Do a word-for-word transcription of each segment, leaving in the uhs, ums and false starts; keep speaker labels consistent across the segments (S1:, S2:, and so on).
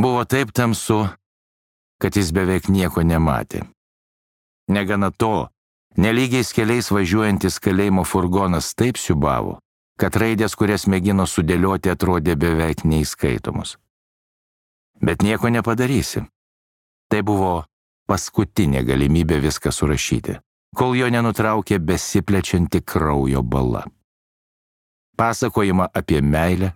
S1: Buvo taip tamsu, kad jis beveik nieko nematė. Negana to, nelygiais keliais važiuojantis kalėjimo furgonas taip siubavo, kad raidės, kurias mėgino sudėlioti, atrodė beveik neįskaitomos. Bet nieko nepadarysi. Tai buvo paskutinė galimybė viską surašyti, kol jo nenutraukė besiplečianti kraujo bala. Pasakojimą apie meilę,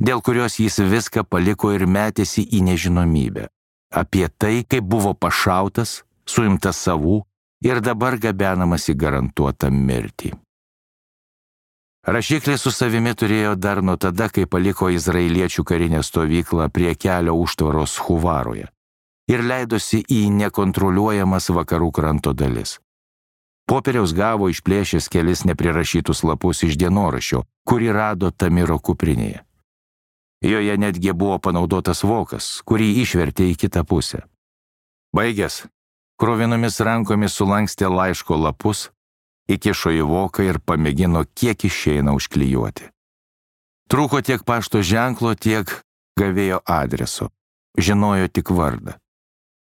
S1: dėl kurios jis viską paliko ir metėsi į nežinomybę. Apie tai, kaip buvo pašautas, suimtas savų ir dabar gabenamas į garantuotą mirtį. Rašiklį su savimi turėjo dar nuo tada, kai paliko izraeliečių karinę stovyklą prie kelio užtvaros Huvaroje ir leidosi į nekontroliuojamas vakarų kranto dalis. Popieriaus gavo išplėšęs kelis neprirašytus lapus iš dienoraščio, kurį rado Tamiro kuprinėje. Joje netgi buvo panaudotas vokas, kurį išvertė į kitą pusę. Baigęs, kruvinomis rankomis sulankstė laiško lapus, įkišo į voką ir pamėgino kiek išeina užklijuoti. Trūko tiek pašto ženklo, tiek gavėjo adreso. Žinojo tik vardą.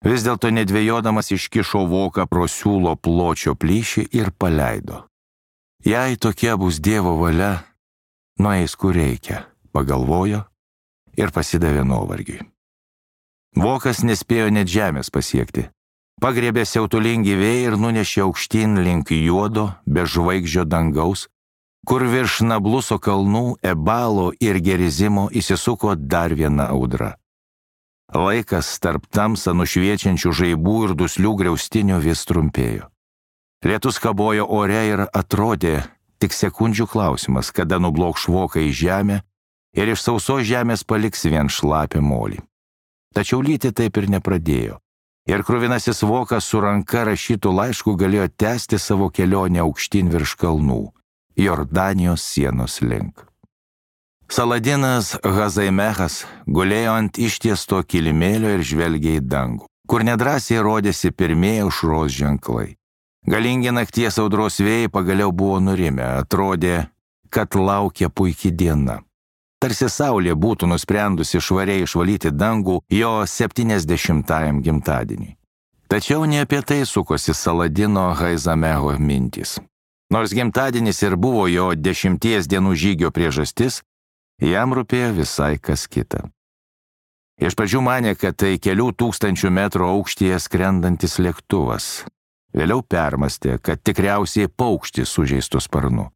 S1: Vis dėlto nedvėjodamas iškišo voką pro siūlo pločio plyšį ir paleido. Jei tokia bus Dievo valia, nueis kur reikia, pagalvojo ir pasidavė nuovargiui. Vokas nespėjo net žemės pasiekti. Pagriebė siautulingi vėjai ir nunešė aukštyn link juodo, be žvaigždžio dangaus, kur virš Nabluso kalnų, Ebalo ir Gerizimo įsisuko dar viena audra. Laikas tarp tamsą nušviečiančių žaibų ir duslių griaustinių vis trumpėjo. Lietus kabojo ore ir atrodė tik sekundžių klausimas, kada nublokš voką į žemę ir iš sausos žemės paliks vien šlapę molį. Tačiau lyti taip ir nepradėjo. Ir kruvinasis vokas su ranka rašytų laiškų galėjo tęsti savo kelionę aukštyn virš kalnų, Jordanijos sienos link. Saladinas Hazaimechas gulėjo ant ištiesto kilimėlio ir žvelgė į dangų, kur nedrąsiai rodėsi pirmieji aušros ženklai. Galingi nakties audros vėjai pagaliau buvo nurimę, atrodė, kad laukia puiki diena. Tarsi saulė būtų nusprendusi švariai išvalyti dangų jo septyniasdešimtajam gimtadieniui. Tačiau ne apie tai sukosi Saladino Haizamecho mintys. Nors gimtadienis ir buvo jo dešimties dienų žygio priežastis, jam rūpėjo visai kas kita. Iš pradžių manė, kad tai kelių tūkstančių metrų aukštyje skrendantis lėktuvas. Vėliau permastė, kad tikriausiai paukštis sužeistų sparnu.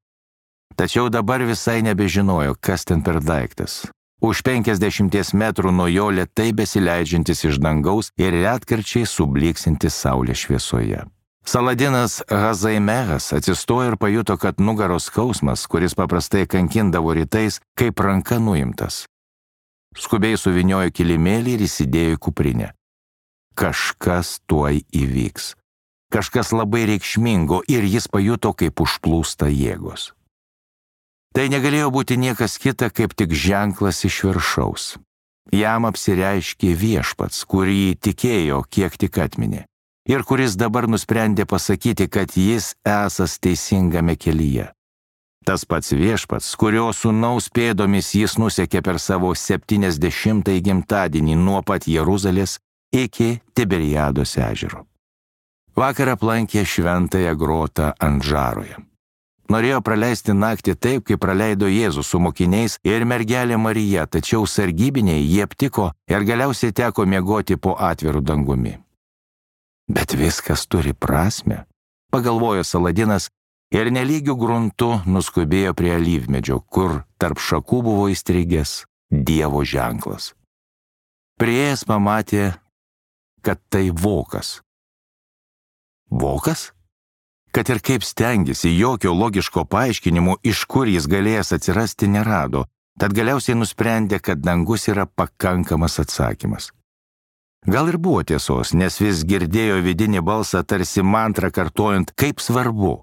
S1: Tačiau dabar visai nebežinojo, kas ten per daiktas. Už penkiasdešimties metrų nuo jo lėtai besileidžiantis iš dangaus ir retkarčiai subliksintis saulės šviesoje. Saladinas Hazaimechas atsistojo ir pajuto, kad nugaros skausmas, kuris paprastai kankindavo rytais, kaip ranka nuimtas. Skubiai suviniojo kilimėlį ir įsidėjo į kuprinę. Kažkas tuoj įvyks. Kažkas labai reikšmingo ir jis pajuto, kaip užplūsta jėgos. Tai negalėjo būti niekas kita, kaip tik ženklas iš viršaus. Jam apsireiškė Viešpats, kurį tikėjo, kiek tik atminė, ir kuris dabar nusprendė pasakyti, kad jis esas teisingame kelyje. Tas pats Viešpats, kurio sūnaus pėdomis jis nusekė per savo septyniasdešimtąjį gimtadienį nuo pat Jeruzalės iki Tiberiados ežero. Vakar aplankė šventąją grotą Andžaroje. Norėjo praleisti naktį taip, kaip praleido Jėzus su mokiniais ir mergelė Marija, tačiau sargybiniai jį aptiko ir galiausiai teko miegoti po atviru dangumi. Bet viskas turi prasmę, pagalvojo Saladinas ir nelygių gruntų nuskubėjo prie alyvmedžio, kur tarp šakų buvo įstrigęs Dievo ženklas. Priėjęs pamatė, kad tai vokas. Vokas? Kad ir kaip stengėsi, jokio logiško paaiškinimo, iš kur jis galėjęs atsirasti, nerado, tad galiausiai nusprendė, kad dangus yra pakankamas atsakymas. Gal ir buvo tiesos, nes vis girdėjo vidinį balsą tarsi mantrą kartojant, kaip svarbu,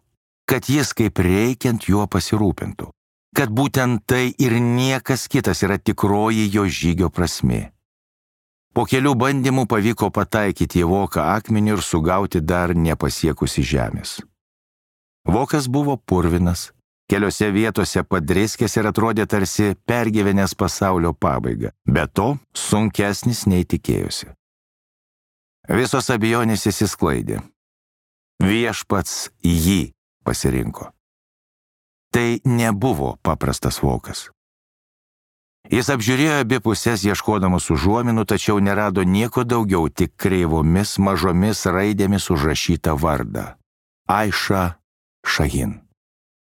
S1: kad jis kaip reikiant juo pasirūpintų, kad būtent tai ir niekas kitas yra tikroji jo žygio prasmė. Po kelių bandymų pavyko pataikyti į voką akmenį ir sugauti dar nepasiekusi žemės. Vokas buvo purvinas, Keliose vietose padriskęs ir atrodė tarsi pergyvenęs pasaulio pabaigą. Be to, sunkesnis nei tikėjosi. Visos abejonės išsisklaidė. Viešpats jį pasirinko. Tai nebuvo paprastas vokas. Jis apžiūrėjo abi pusės ieškodamas užuominų, tačiau nerado nieko daugiau, tik kreivomis mažomis raidėmis užrašytą vardą – Aiša Šahin.